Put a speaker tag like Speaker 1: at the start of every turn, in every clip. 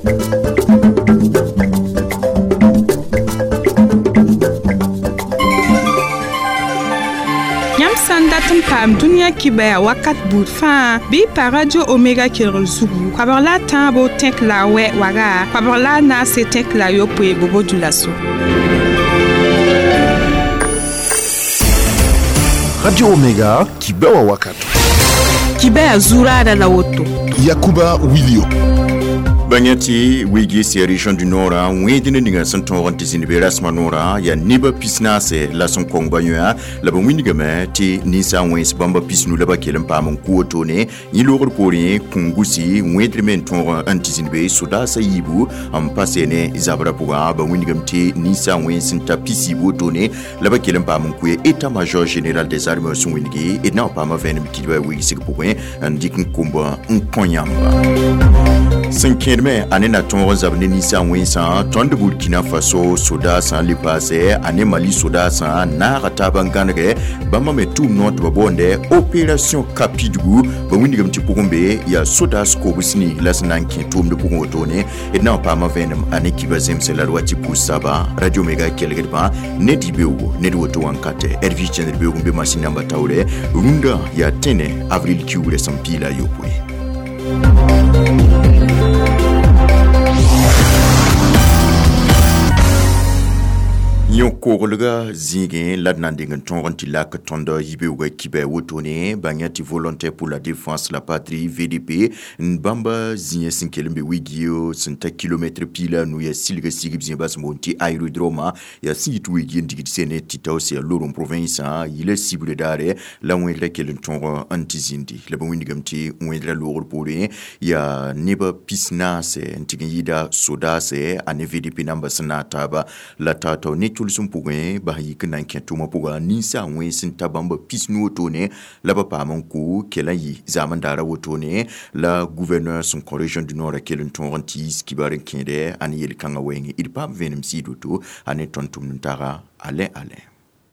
Speaker 1: Yãmb sã n dat n paam dũniyã kibaya wakat buud fãa bɩ y pa Radio Omega kelgr zugu koabg la a tãabo tẽk la a wɛ waga koabg la a naase tẽk la a yopoe bobo dulaso.
Speaker 2: Radio Omega, kibawa wakato.
Speaker 1: Kibaya zuraada la woto.
Speaker 2: Yakuba Wilio.
Speaker 3: Bãng tɩ wigi sɩ région du nord wẽed ne ninga sẽn tõog n tɩ zĩnd be rasmã noorã yaa nebã 40 la sẽn kong ba yõa la b wĩndgame tɩ ninsa wẽns bãmba 50 la ba kell n paam n kʋ wotone yẽ loogr poorẽ kũngusi wẽedr me n tõog n tɩ zĩnd be sodaasã yiibu n pa se ne zabrã pʋgã ba wĩndgame tɩ ninsa wẽns n ta 40 wotone la ba kell n paam n kʋ état major général des armées sẽn wĩndge d na n paama vẽenem kidba wigsg pʋgẽ n dɩk n komb n kõ yãmba sẽn kẽedme a ne na tõog n zab ne ninsã wẽnsã tõnd Burkina Faso sodaasã le paasɛ a ne Mali sodaasã naaga taaba n gãnegɛ bãmba me tʋʋm noor tɩ ba boonde opération Kapidgu ba wĩndgame tɩ pʋgẽ be yaa sodaas kobs-ni la sẽn na n kẽ tʋʋmd pʋgẽ wotone d na n paama vẽenem a ne kiba zemse la d wa tɩ pʋʋs saba Radio Omega kelgdbã ne dɩ-beoogo ned woto wãnkatɛ rv chẽndr beoog n be masin namba taoorɛ rũndã yaa tẽne avril kiugrã sẽn piila a yopoe. Yõ-koglga zĩigẽ la d na n deng n tõog n tɩ lak tõnd yibeoogã kiba wotone bãng tɩ volontaire pour la défense la patrie VDP n bãmba zĩigã sẽn kell n be wigio sẽn ta kilomɛtre 15 yaa silga sigb zĩig bas n boond tɩ aérodrome yaa sẽn yit wigi n digd sene tɩ taoos yaa Lorong province yila sibrã daare la wẽedrã kell n tõog n tɩ zĩndi la ba wĩndgame tɩ wẽedrã loogr poorẽ yaa nebã 40 n tɩg n yɩɩda sodaasɛ a ne VDP namba sẽn na taaba la tao-tao ne tʋlsem pʋgẽ bas yik n na n kẽ tʋʋmã pʋga ninsa wẽns n ta bãmba 90 wotone la ba paam n kʋ kell n yɩ zaam n daara wotone la gouverneur sẽn kõ région du nord a kell n tõog n tɩ yiis kibar n kẽede a ne yel-kãngã wɛɛngẽ d paam vẽenem sɩɩd woto a ne tõnd tʋmd n taga Alain Alain.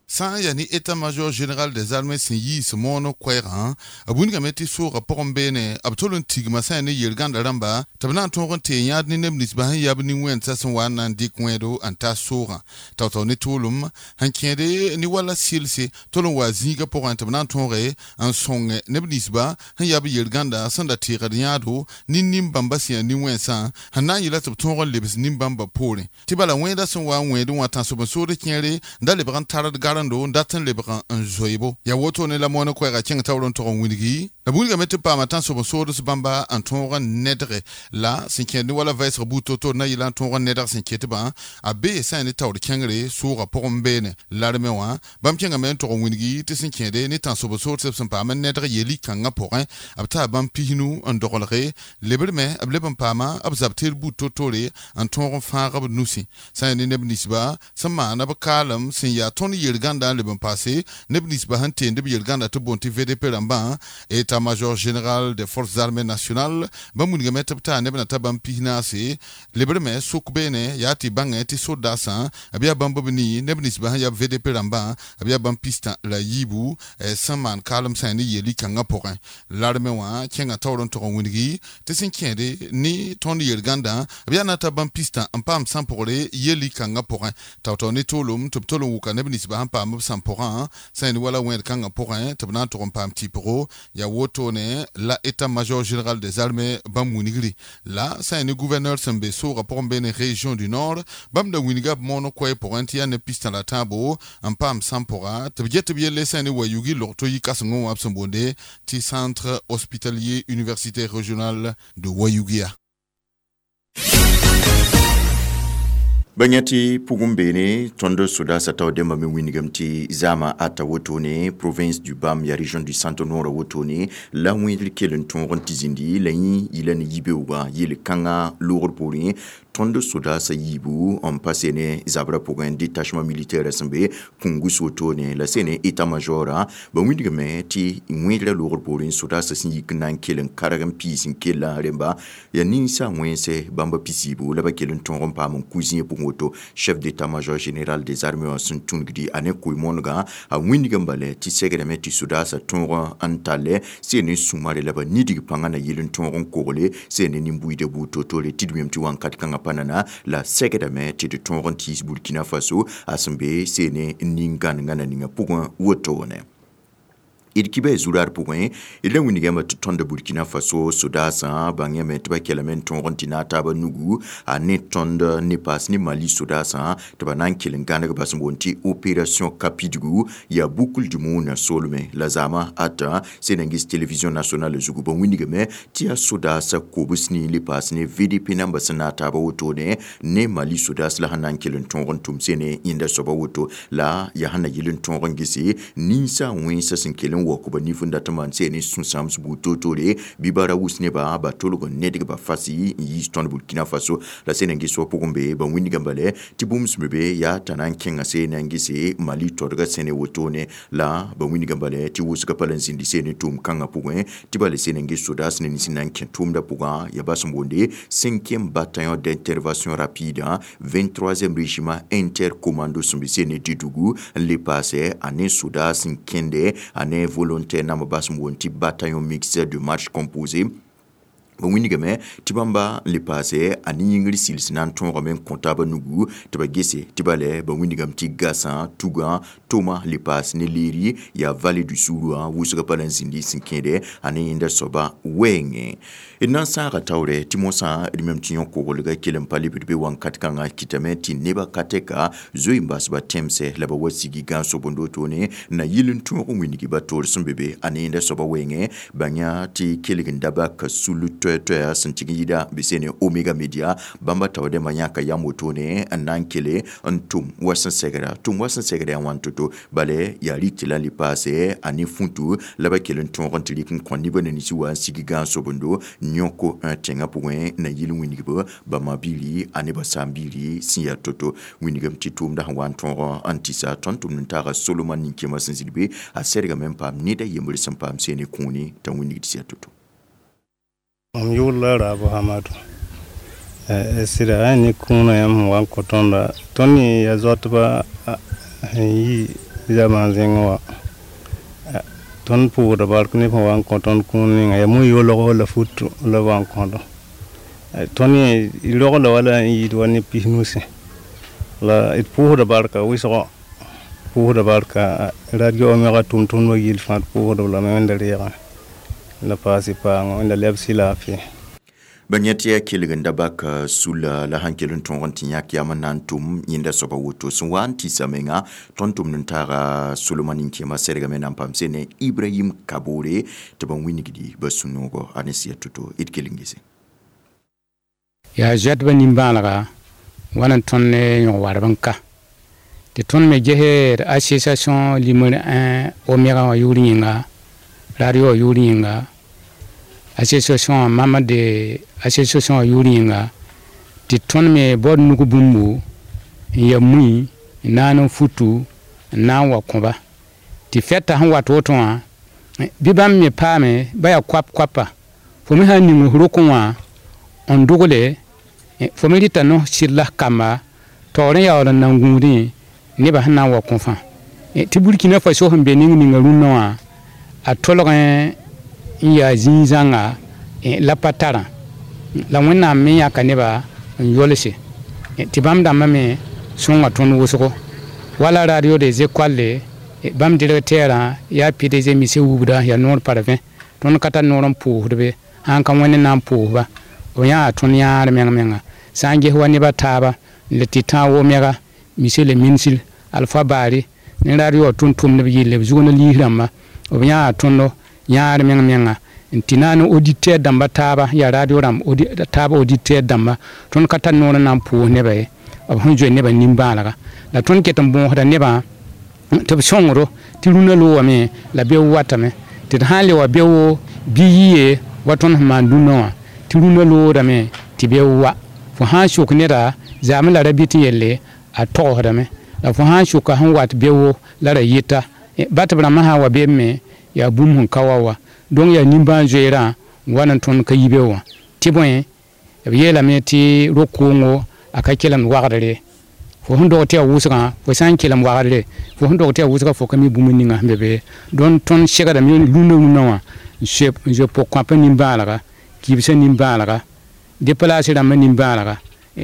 Speaker 4: Sã n yaa ne état-major général des armées sẽn yiis moon koɛɛgã b wĩndgame tɩ soogã pʋgẽ beene b tol n tigma sã n ne yel-gãnda rãmba tɩ b na n tõog n tee yãad ne neb ninsbã sẽn yab nin-wẽnsã sẽn wa n na n dɩk wẽedo n ta soogã tao-tao ne tʋʋlem sẽn kẽede ne wala sɩlse tol n wa zĩigã pʋgẽ tɩ b na n tõoge n sõng neb ninsbã sẽn yab yel-gãnda sẽn da teegd yãado ne nin-bãmba sẽn yaa nin-wẽnsã sẽn na n yɩla tɩ b tõog n lebs nin-bãmba poorẽ tɩ bala wẽeda sẽn wa n wẽed wã tãnsoben-sood kẽere n da lebg n tard garando n dat n lebg n zoeebo yaa wotone la moon koɛɛga kẽng taoor n tog n wilgi la wilgame tɩ paama tãnsoben-soods bãmba n tõog n nedge la sẽn kẽed ne wala vɛɛsg buud to-to na yɩla n tõog n nedg sẽn ketbã a bee sã n ne taoor kẽngre soogã pʋgẽ beene larme wã bãmb kẽngame n tog n wilgi tɩ sẽn kẽede ne tãnsoben-soodsb sẽn paam n nedg yel-kãngã pʋgẽ b taa bãmb 50 n doglge lebrme b leb n paama b zab teer buud to-tore n tõog n fãag b nusẽ sã n ne neb ninsba sẽn maana b kaalem sẽn yaa tõnd yel-gãnda n leb n paase neb ninsba sẽn teend b yel-gãnda tɩ boond tɩ VDP rãmbã état-major général des forces armées nationales bãmb wilgame tɩ b taa neb na ta bãmb 40 lebrme sʋk beene yaa tɩ bãngẽ tɩ sodaasã b yaa bãmb b nii neb ninsba sẽn yaa VDP rãmbã b yaa bãmb 67 sẽn maan kaalem sã n ne yel-kãngã pʋgẽ larme wã kẽngã taoor n tog n wilgi tɩ sẽn kẽede ne tõnd yel-gãndã b yaa na ta bãmb 60 n paam sãn-pʋgre yel-kãngã pʋgẽ tao-tao ne toolem tɩ b tol n wʋka neb ninsba sẽn paam b sãn-pʋgã sã n wala wẽed kãngã pʋgẽ tɩ b na n tog n paam tɩpgo yaa wotone la état-major général des armées bãmb wingri la sã n ne gouverneur sẽn be soogã pʋgẽ beene région du nord bãmb da wilga b moon koɛɛ pʋgẽ tɩ yaa ne 63 n paam sãn-pʋga tɩ b get tɩ b yelle sã n ne wa yugi log-to yɩ kãsengẽ wã b sẽn boonde tɩ centre hospitalier universitaire régional de Ouahigouya.
Speaker 3: Bãng tɩ pʋgẽ beene tõnd sodaasã tao dẽmbã me wĩndgame tɩ zaamã ata wotone province du Bam ya région du centre nord wotone la wẽedr kell n tõog n tɩ zĩndi la yẽ yɩla ne yibeoogã yel-kãngã loogr poorẽ tõnd sodaasã yiibu n pa sene zabrã pʋgẽ détachement militaire sẽn be kũngus wotone la sene état-major ba wĩndgame tɩ wẽedrã loogr poorẽ sodaasã sẽn yik n na n kell n karg n piis n kella rẽmba yaa ninsa wẽnse bãmba 40 la ba kell n tõog n paam n ku zĩig pʋgẽ. woto. Chef d'état-major général des armées wã sẽn tũnugdi a ne koe-moonegã a wĩndg n bale tɩ segrame tɩ sodaasã tõog n talle sẽn ne sũmare la ba nidg pãngã na yɩl n tõog n kogle sẽn ne nin-buiidã buud toor-toore tɩ d wẽm tɩ wãnkat kãngã pa nana la segdame tɩ d tõog n tiis Burkina Faso a sẽn be sẽn ne nin-gãnengã na ninga pʋgẽ wotone. D kiba zurar pʋgẽ d la wĩnigame tɩ tõnd Burkina Faso sodaasã bãngame tɩ ba kelame n tõog n tɩ na taaba nugu a ne tõnd ne paas ne Mali sodaasã tɩ ba na n kell n gãneg bas n boond tɩ opération Kapidgu yaa boucle du monde soolmẽ la zaamã ata Sénégis télévision nationale zugu ba wĩnigame tɩ yaa sodaasã kobs ne le paas ne VDP namba sẽn na taaba wotone ne Mali sodaas la sẽn na n kell n tõog n tʋm sene yẽnda soaba woto la yaa sẽn na yɩl n tõog n gese ninsã wẽnsã sẽn kell n wok ba nif n dat n maan sẽn ne sũ-sãams buud toor-toore bɩ bara wus nebã ba tolg n nedg ba fasi n yiis tõnd Burkina Faso la sẽn na n ges wã pʋgẽ be ba wĩndgã bale tɩ bũmb sẽn be be yaa t'a na n kẽnga sẽn na n gese Mali todgã sẽne wotone la ba wĩndgã bale tɩ wʋsgã pa la n zĩndi sẽn ne tʋʋm kãngã pʋgẽ tɩ bale sẽn na n ges sodaas ne nins n na n kẽ tʋʋmdã pʋgã yaa bas n boonde 5e bataillon d'intervention rapide 23e régiment intercommando sẽn be sẽn ne Didugu n le paase a ne sodaas n kẽnde a ne volontaire namba bas n boond tɩ bataillon mixte de marche composé ba wĩnigame tɩ bãmba n le paase a ne yĩngr sils na n tõogame n kõ taabã nugu tɩ ba gese tɩ bale ba wĩnigame tɩ gasã tugã toma le paas ne leeri yaa vallée du Sourou wʋsgã pa la n zĩndi sẽn kẽede a ne yẽnda soaba wɛɛngẽ. D na n saaga taoorɛ tɩ mosã d mem tɩ yõ-koglgã kell n pa lebd be wãnkat kãngã kɩtame tɩ nebã ka tɛka zoe n bas ba tẽmsɛ la ba wa sigi gãan-sobend wotone na yɩl n tõog n wĩnigi ba toor sẽn be be a ne yẽnda soaba wɛɛngẽ bãng tɩ kelg n da baka sul toɛ-toɛa sẽn tɩg n yɩda bɩ sene Omega Media bãmba taoodẽmbã yãka yam wotone n na n kele n tʋm wa sẽn segra tʋm wa sẽn segra yaa wãn to-to bale yaa rɩtɩ la le paase a ne fũtu la ba kell n tõog n tɩ rɩk n kõ nebã na nins wa n sig gãan-sobendo yõko tẽngã pʋgẽ na yɩl wĩnigb ba ma-biiri a ne ba saam-biiri sẽn yaa to-to wĩnigame tɩ tʋʋmda sẽn wa n tõog n tɩsa tõnd tʋmd n taaga Solomon nin-kẽemã sẽn zĩnd be a sɛdgame n paam ned a yembr sẽn paam sene kũuni t'a wĩnigd sɩ yaa to-to.
Speaker 5: Mam yʋʋr la Raabo Hamadu. Sɩda a ne kũunã yãmb sẽn wa n kõ tõnda tõnd yẽ yaa zoatba sẽn yi zamaan zẽngẽ wã tõnd pʋʋsda bark neb sẽn wa n kõ tõnd kũun ninga yaa mu-yoolg la futu la b wa n kõdo tõnd yẽ rogla wala n yɩɩd wa ne pis-nusẽ la d pʋʋsda barka wɩsgo pʋʋsda barka radio Omega tʋm-tʋmdbã gill fãa d pʋʋsdb lame wẽnda reegã la paase paango wẽnda lebs y laafɩ.
Speaker 3: Ba yẽ tɩ yaa kelg n da bak sula la sãn kell n tõog n tɩ yãk yam n na n tʋm yẽnda soaba woto sẽn wa n tɩsa menga tõnd tʋmd n taaga Solomon nin-kẽemã sɛdgame na n paam sene Ibrahim Kabore tɩ ba wĩnigdi ba sũ-noogo a ne sɩya to-to d kell n gese.
Speaker 6: Yaa zoɛtbã nin-bãalega wãn n tõnd ne yõg-warb n ka tɩ tõnd me ges d association limr 1 Omega wã yʋʋr yĩnga radio wã yʋʋr yĩnga association wã mama de association wã yʋʋr yĩnga tɩ tõnd me baood nug bũmbu n ya mui n naan n futu n na n wa kõba tɩ fɛta sẽn wat woto wã bɩ bãmb me paame ba yaa koap-koapa fo me sã n ning f rokẽ wã n dogle fo me rɩta no sɩd la f kamba taoor n yaool n nan gũudẽ nebã sẽn na n wa kõ fãa tɩ Burkina Faso sẽn be ning ninga rũnnã wã a tolgẽ n yaa zĩig-zãnga la pa tarã la Wẽnnaam me yãka nebã n yolse tɩ bãmb dãmbã me sõnga tõnd wʋsgo wala radio des écoles bãmb directeur yaa PDG monsieur Wubda yaa noor parvẽ tõnd ka tar noor n pʋʋsd be sãn ka Wẽnd na n pʋʋsba b yãa tõnd yãar meng-menga sã n ges wa nebã taaba n le tɩ tãag Omega monsieur le ministre Alpha Bari ne radio wã tʋm-tʋmdb yelle b zug ne liis rãmba b yãa tõndo yãar meng-menga n tɩ na n auditeur dãmba taaba yaa radio rãmb taaba auditeur dãmba tõnd ka tar noor n na n pʋʋs nebã ye b sẽn zoe nebã nin-bãalega la tõnd ket n bõosda nebã tɩ b sõngdo tɩ rũnã loogame la beo watame tɩ d sã n le wa beo bɩ yɩye wa tõnd sẽn maan dũnã wã tɩ rũnã loodame tɩ beo wa fo sã n sok neda zaame la ra bɩ tɩ yelle a togsdame la fo sã n soka sẽn wat beo la ra yɩta ba tɩ b rãmbã sã n wa beem me yaa bũmb sẽn ka wa wa donc yaa nimbãan-zoeerã n wa n tõnd ka yi be wã tɩ bõe b yeelame tɩ ro-koongo a ka kelemd wagdre Fo sẽn dog tɩ yaa wʋsgã fo sã n kelem wagdre fo sẽn dog tɩ yaa wʋsga fo ka mi bũmb ninga sẽn be be dõnd tõnd segdame rũndã rũndã wã n zoe pʋg-kõapã nimbãanega kibsã nimbãanega déplace rãmbã nimbãanega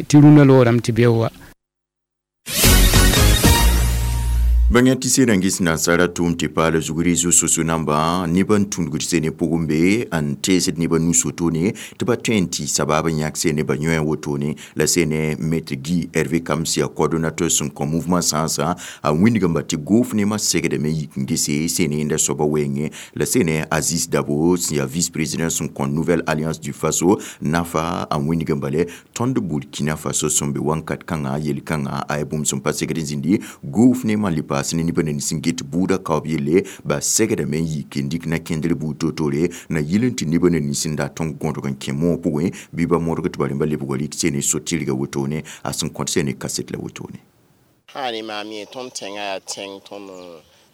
Speaker 6: tɩ rũndã loorame tɩ beo wa.
Speaker 3: Bãngã tɩ sẽn nansara tʋʋm tɩ paal zugri zu-soso namba neb n tũudgd sene pʋgẽ be n teesd nebã nu-sotone tɩ ba tõe n tɩ sabab n yãk sene ba yõe wotone la sene maître Guy Hervé Kamsia coordonnateur sẽn kõ mouvement sãnsã a wĩndgame tɩ goof nemã segdame yik n gese sene yẽnda soaba wɛɛngẽ la sene Aziz Dabo sẽn yaa vice-président sẽn kõ Nouvelle Alliance du Faso nafa a wĩndgame bale tõnd Burkina Faso sẽn be wãnkat kãngã yel-kãngã a ya bũmb sẽn pa segd n zĩndi goof nemã le paas ne neb nins n get buudã kaoob yelle ba segdame n yik n dɩk na kẽndr buud toor-toore na yɩl n tɩ neb nins n dat n gõdg n kẽ moog pʋgẽ bɩ ba modg tɩ ba rẽmba lebga rɩk sene so-tɩrga wotone a sẽn kõt sene kaset la wotone.
Speaker 7: Sã ne maam yẽ tõnd tẽngã yaa tẽng tõnd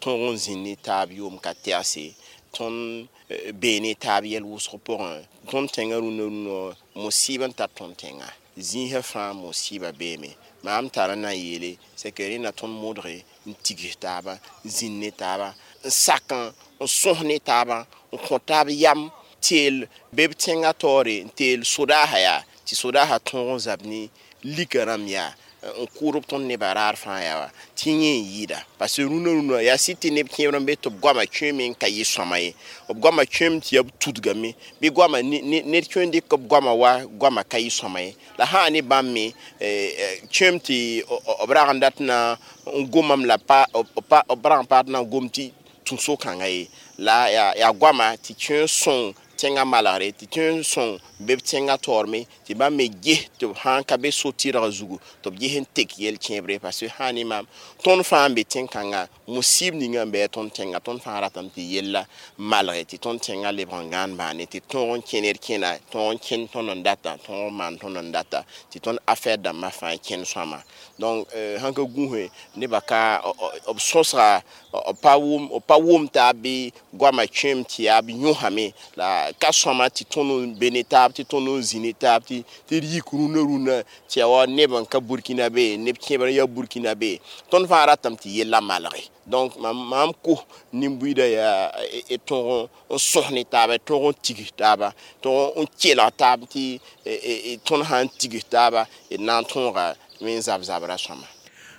Speaker 7: tõog n zĩnd ne taab yʋʋm ka tɛgse tõnd bee ne taab yɛl wʋsg pʋgẽ tõnd tẽngã rũndã rũndã mosɩɩb n tar tõnd tẽnga zĩisã fãa mosɩɩba beeme maam tara na n yeele c'est que rẽnda tõnd modge n tigs taaba n zĩnd ne taaba n sak n sõs ne taaba n kõ taab yam teel be b tẽngã taoore n teel sodaasã yaa tɩ sodaasã tõog n zab ne lika rãmb yaa n kʋʋdb tõnd nebã raar fãa yaa wa tɩ yẽ n yɩɩda parce que rũndã rũndã yaa sɩd tɩ neb kẽebr n be tɩ b goamã kẽeme n ka yɩ sõama ye b goamã kẽem tɩ yaa b tudgame bɩ goamã ned tõe n dɩk b goamã wa goamã ka yɩ sõama ye la sã ne bãmb me kẽem tɩ b rag n dat na n gomame la b rag n paad na n gom tɩ tũ so-kãngã ye la yaa goamã tɩ kẽe sõng tẽngã malgre tɩ tõe n sõng be b tẽngã taoorme tɩ bãmb me ges tɩ b sã n ka be so-tɩrgã zugu tɩ b ges n tek yɛl-kẽebre parce que sã ne maam tõnd fãa n be tẽn-kãngã musib ninga n bɩ tõnd tẽnga tõnd fãa ratame tɩ yella malge tɩ tõnd tẽngã lebg n gãan baane tɩ tõog n kẽ ned kẽna tõog n kẽnd tõnd n data tõog n maan tõnd n data tɩ tõnd affaire dãmbã fãa kẽnd sõama donc sãn ka gũuse nebã ka b sõsga b pa wʋm taab bɩ goamã kẽem tɩ yaa b yõsame la ka sõama tɩ tõnd n be ne taab tɩ tõnd n zĩ ne taab tɩ d yik rũndã rũndã tɩ yaa wa neb n ka Burkina be neb kẽebr n yaa Burkina be tõnd fãa ratame tɩ yella malge donc maam kos nin-buiidã yaa tõog n sõs ne taaba tõog n tigs taaba tõog n kelg taab tɩ tõnd sã n tigs taaba d na n tõoga me n zab zabrã sõama.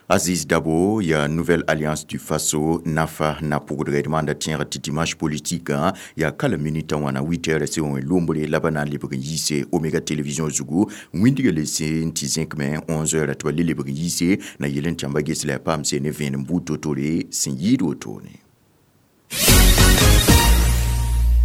Speaker 3: Aziz Dabo, ya Nouvelle Alliance du Faso, Nafa, na pugdre demanda tẽeg tɩ dimanche politique ya kala minita wãna 8 heures se wẽ lombre la ba na n lebg n yiise Omega Télévision zugu wĩndga le sẽn tɩ zẽkme 11 heures tɩ ba le lebg n yiise na yel n tãmba ges la ya paam se ne vẽenem buud to-tore sẽn yɩɩd wotone.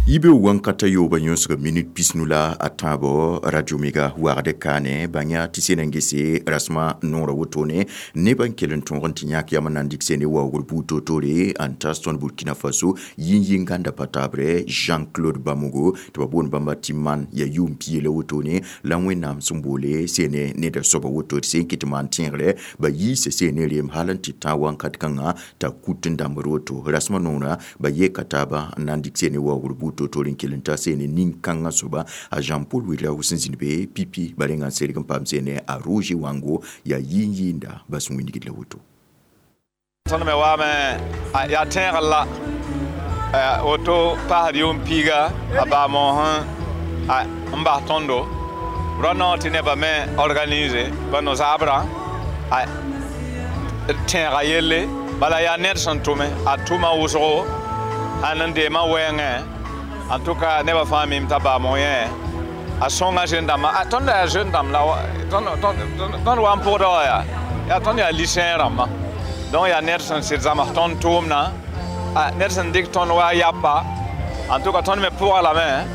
Speaker 3: Yibe wankata yoba yõsg minute pisnu la a tãabo Radio Mega wagd kaane bãngya tɩ sẽn n gese rasmã noorã wotone nebã n kell n tõog n tɩ yãk yam n na n dɩk sene waoogr buud toor-toore n tas tõnd Burkina Faso yĩn-yĩngãnda pa taabre Jean-Claude Bamogo tɩ ba boond bãmba tɩ man ya yʋʋm pia la wotone la Wẽnnaam sẽn boole sene neda soaba woto tɩ sẽn kɩt maan tẽegre ba yiisa sene reem hal n tɩ tã wãnkat kãngã t'a kut n dãmbd woto rasmã noorã ba yeka taaba n na n dɩk sene waoogr buud toor-toore n kell n ta sene nin-kãngã soaba a Jean-Paul Ouedraogo sẽn zĩnd be pipi ba rẽnga n serg n paam sene a Roger Wango yaa yĩn-yĩnda ba sẽn wĩndgd la woto.
Speaker 8: Tõnd me waame yaa tẽegr la woto paasd yʋʋm piiga a baa-moosẽ n bas tõndo rao naoor tɩ nebã me organise ba no-zaabrã tẽega yelle bala yaa ned sẽn tʋme a tʋma wʋsgo sãn n deemã wɛɛngẽ. En tout cas, nebã fãa mim t'a baa-moog yẽ a sõnga jeune dãmbã tõnd yaa jeune dãmb la tõnd wa n pʋgda wã yaa tõnd yaa lycéen rãmbã donc yaa ned sẽn sɩd zãms tõnd tʋʋmdã ned sẽn dɩk tõnd wa yapa en tout cas tõnd me pʋga lame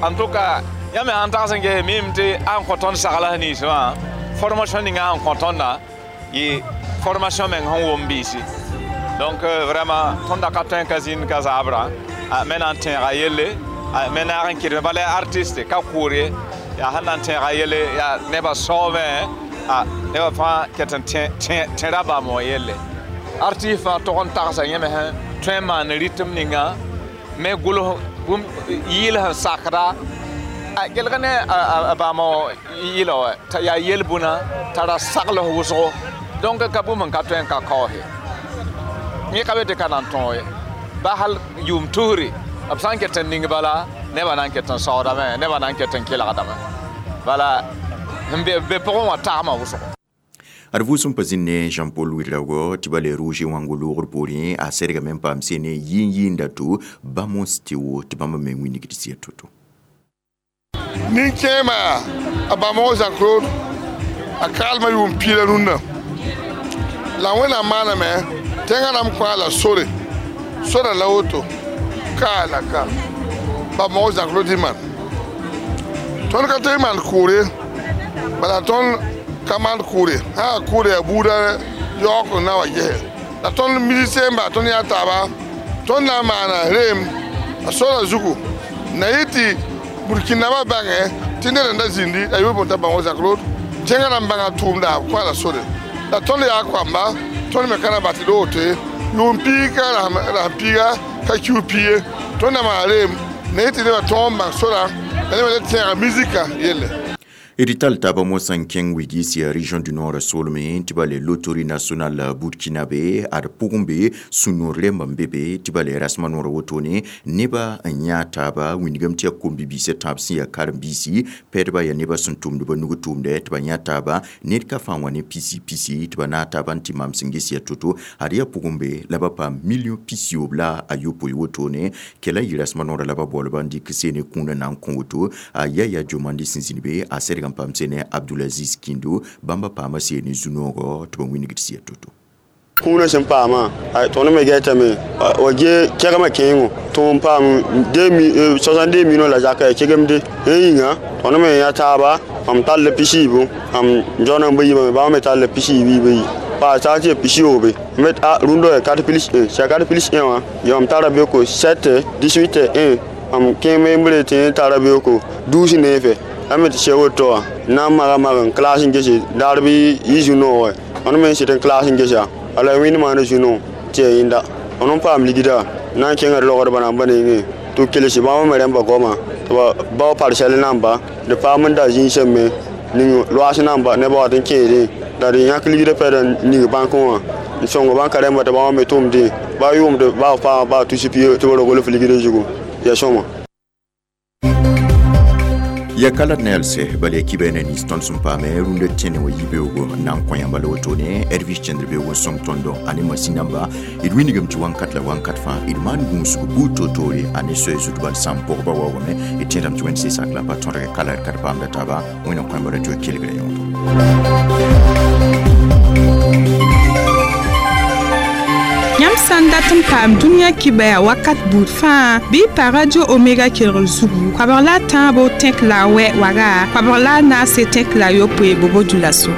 Speaker 8: en tout cas yã me sãn tags n ges mim tɩ a n kõ tõnd sagls nins wã formation ninga sẽn kõ tõndã yɩ formation meng sẽn wʋm biisi donc vraiment tõnd da ka tõe n ka zĩnd ka zaabrã me na n tẽega yelle me naag n kɩdme bala yaa artiste ka kʋʋr ye yaa sẽn na n tẽega yelle yaa nebã saoobẽ nebã fãa ket n tẽra bãmb wã yelle artiste fãa tog n tagsa yẽ me sẽn tõe n maan rɩtem ninga me gʋls yɩɩl sẽn sakda A gelg ne a bãamo yɩla wa t'a yaa yel-bũna t'a ra sagls wʋsgo donc ka bũmb n ka tõe n ka kaoose yẽ ka be tɩ ka na n tõog ye ba hal yʋʋm tusri b sã n ket n ning bala nebã na n ket n saoodame nebã na n ket n kelgdame bala n be pʋgẽ wã tagmã wʋsgo.
Speaker 3: Ad vʋʋsem pa zĩnd ne Jean-Paul Ouedraogo tɩ ba le Roger Wango loogr poorẽ a sɛdgame n paam sene yĩn-yĩnda to Bamos Teo tɩ bãmb me wĩnigd sɩa to-to.
Speaker 9: Nin-kẽema a Bamo Jean-Claude a kaalmã yʋʋm piila rũnnã la Wẽnnaam maaname tẽngã rãmb kõ la sore sora la woto ka la ka Bamo Jean-Claude y maan tõnd ka tɩ y maan kʋʋre bala tõnd ka maan kʋʋre sã yaa kʋʋre yaa buudã yaoog n na wa gese la tõnd musicien n baa tõnd yaa taaba tõnd na n maana reem a sora zugu na yɩ tɩ Burkinabã bãngẽ tɩ ned n da zĩndi a yʋ bõn t'a Bamo Jean-Claude tẽngã rãmb bãnga tʋʋmda b kõ la sore la tõnd yaa koamba tõnd me ka na bat d woto ye yʋʋm piig ka rasem piiga ka kiu pii ye tõnd na maan reem na yɩ tɩ nebã tõog n bãng sora la nebã le tẽega musika yelle.
Speaker 3: D tall taaba moasã n kẽng wigis yaa région du Nord soolmẽ tɩ ba le Loterie nationale burkinabe ad pʋgẽ be sũ-noor rẽmba n be be tɩ ba le rasmã noorã wotone nebã n yã taaba wĩndgame tɩ yaa kom-bi-biisã tãab sẽn yaa karen-biisi pɛdba yaa nebã sẽn tʋmd ba nug tʋʋmdɛ tɩ ba yã taaba ned ka fãa wã ne pisi pisi tɩ ba naag taaba n tɩ maam sẽn ges yaa to-to ad yaa pʋgẽ be la ba paam million pisiyoob la a yopoe wotone kɛla yɩ rasmã noorã la ba boolba n dɩk seene kũunã na n kõ woto a Yaya Jomandi sẽn zĩnd be a sɛdg n paam sene Abdulaziz Kindo bãmba paama seene zu-noogɔ tɩ ba wĩnigd sɩa to-to.
Speaker 10: Kũunã sẽn paamã tõnd me gɛtame wa ge kɛgmã kẽengo tɩ n paam 62 millions la zaka ya kegemde yẽ yĩnga tõnd me yã taaba mam tall pisiibu mam jaona n ba yiibame bãmb me tall pisiibi bayi paa t'a tɩ pisiyoobe met a rũndã ya 4 plus 1 sã 4 plus 1 wã ya mam tara beoko 7 18 1 mam kẽeme n bre tɩ tara beoko 12 neefe la me tɩ sɛ woto wã na n maga mag n klaas n gese daar bɩ yɩ zu-noogẽ tõnd me n sɩd n klaas n gesa ala wẽnd maana zu-noog tɩ ya yẽnda tõnd n paam ligda na n kẽngd logdbã namba nengẽ tɩ b kelse bãmb me rẽmba goama tɩ ba bao parsɛl namba d paam n da zĩisã me ning loaas namba nebã wat n kẽedẽ la d yãk ligdã pɛd n ning bãnkẽ wã n sõng bãnka rẽmba tɩ bãmb me tʋmdẽ ba yʋʋmd baa paama baa tus pia tɩ ba rogl f ligdã zugu ya sõma.
Speaker 3: Ya kalat nelse bal ya kibene ni tõnd sẽn paame rũndã tẽne wã yibeoogo n na n kõ yãmba la wotone Ervis Chendr beoog n sõng tõndo ane masin namba d wĩnigame tɩ wãnkat la wãnkat fãa d maan gũusg buud toor-toore ane soɛ zutbal sãn pʋgba waoogame d tẽedame tɩ wẽnd seesak la pa tõdge kala d ka d paamda taaba Wẽnd n kõ yãmba radio kelgrã yõodo.
Speaker 1: Yãmb sã n dat n paam dũniyã kibaya wakat buud fãa bɩ y pa Radio Omega kelgr zugu koabg la a tãabo tẽk la a wɛ waga koabg la a naase tẽk la a yopoe bobo dulaso.